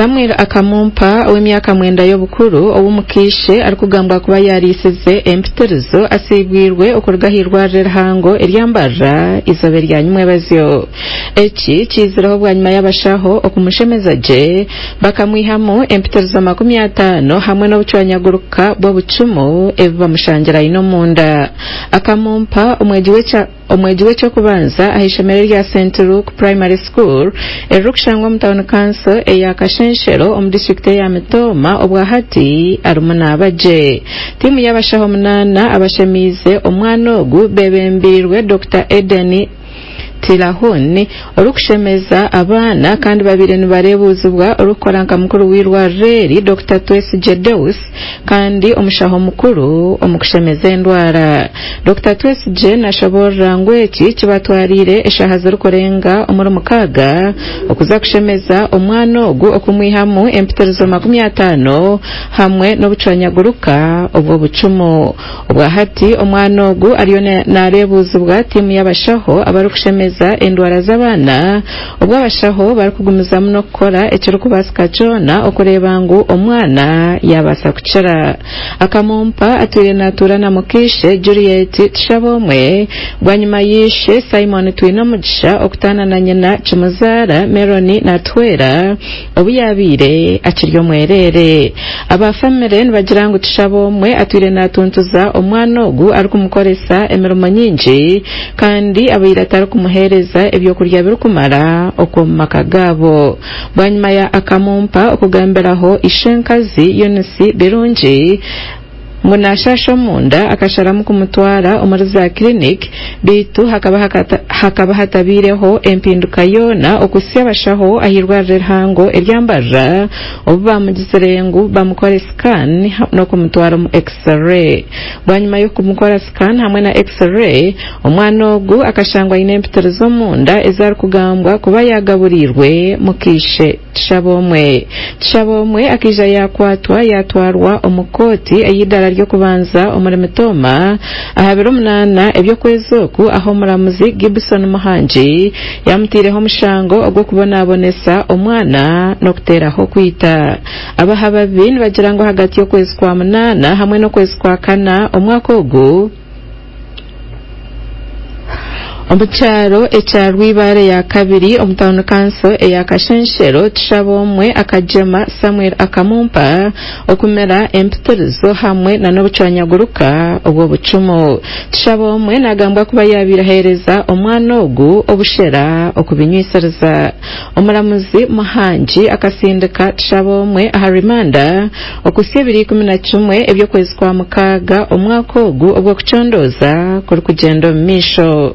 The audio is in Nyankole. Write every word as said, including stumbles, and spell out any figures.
Samuel Akamumpa ow'emyaka mwenda y'obukuru ow'omukiishe arikugambwa kuba yariisize empitirizo asiibwirwe okuruga ah'irwariro erihango erya Mbarara eizooba erya nyimwebazyo. Eki kiizireho bwanyima y'abashaho okumushemeza gye bakamwihamu empitirizo makumi ataano hamwe n'obucwanyaguruka bw'obucumu ebi bamushangira aine omunda. Akamumpa omwegi w'ekya omwegi w'ekyokubanza aha ishomero erya Saint Luke Primary School eririkushangwa omu tawuni kanso eya Kashenshero omu disitulikiti eya Mitooma obwa hati arimu naaba gye. Tiimu y'abashaho munaana abashemiize omwana ogu bebembeirwe Dokita Eden Tilahun orikushemeza abaana kandi babaire nibareebuuzibwa orikukora nka mukuru w'eirwariro eri Dokita Twesigye Deus kandi omushaho mukuru omu kushemeza endwara. Dokita Twesigye nashoboorora ngu eki kibatwariire eshaaha zirikurenga omuri mukaaga okuza kushemeza omwana ogu okumwihamu empitirizo makumi ataano hamwe n'obucwanyaguruka obw'obucumu. Obwa hati omwana ogu ariyo nareebuuzibwa tiimu y'abashaho abarikushemeza endwara z'abaana obwo abashaho barikugumizamu n'okukora ekirikubaasika kyona okureeba ngu omwana yabaasa kukira. Akamumpa atwire natuura na mukiishe Juliet Tushabomwe bwanyima y'ishe Simon Twinomugisha okutaana na nyina Kimuzaara Meloni Natuhwera obu yabaire akiri omwereere. Aba famire nibagira ngu Tushabomwe atwire natuntuza omwana ogu arikumukoresa emirimo nyingi kandi abaire atarikumuheereza ebyokurya birikumara okw'omu maka gaabo. Bwanyima ya Akamumpa okugambiraho ishenkazi Eunice Birungi ngu nashasha omunda akasharamu kumutwara omuri za clinic beitu hakaba hakata, hakaba hatabiireho empinduka yoona okuhitsya abashaho ah'irwariro erihango erya Mbarara obu bamugizire ngu bamukore scan n'okumutwara omu x-ray. Bwanyima y'okumukora scan hamwe na x-ray omwana ogu akashangwa aine empitirizo omunda ezarikugambwa kuba yagaburiirwe mukiishe Tushabomwe. Tushabomwe akaija yakwatwa yatwarwa omu kooti ey'eidaara ry'okubanza omuri Mitooma aha biro munaana eby'okwezi oku aho omuramuzi Gibson Muhangi yamuteireho omushango ogw'okubonabonesa omwana n'okuteeraho kwita. Abahababi nibagira ngu ahagati y'okwezi kwa munaana hamwe n'okwezi kwa kana omwaka ogu omu kyaro ekya Rwibaare ya kabiri omu tawuni kanso eya Kashenshero Tushabomwe akagyema Samuel Akamumpa okumira empitirizo hamwe na n'obucwanyaguruka obw'obucumu. Tushabomwe nagambwa kuba yabaire aheereza omwana ogu obushera okubinywisiriza. Omuramuzi Muhangi akasindika Tushabomwe aha rimanda okuhitsya ebiro ikumi na kimwe eby'okwezi kwa mukaaga omwaka ogu ogw'okucondooza kurikugyenda omu maisho.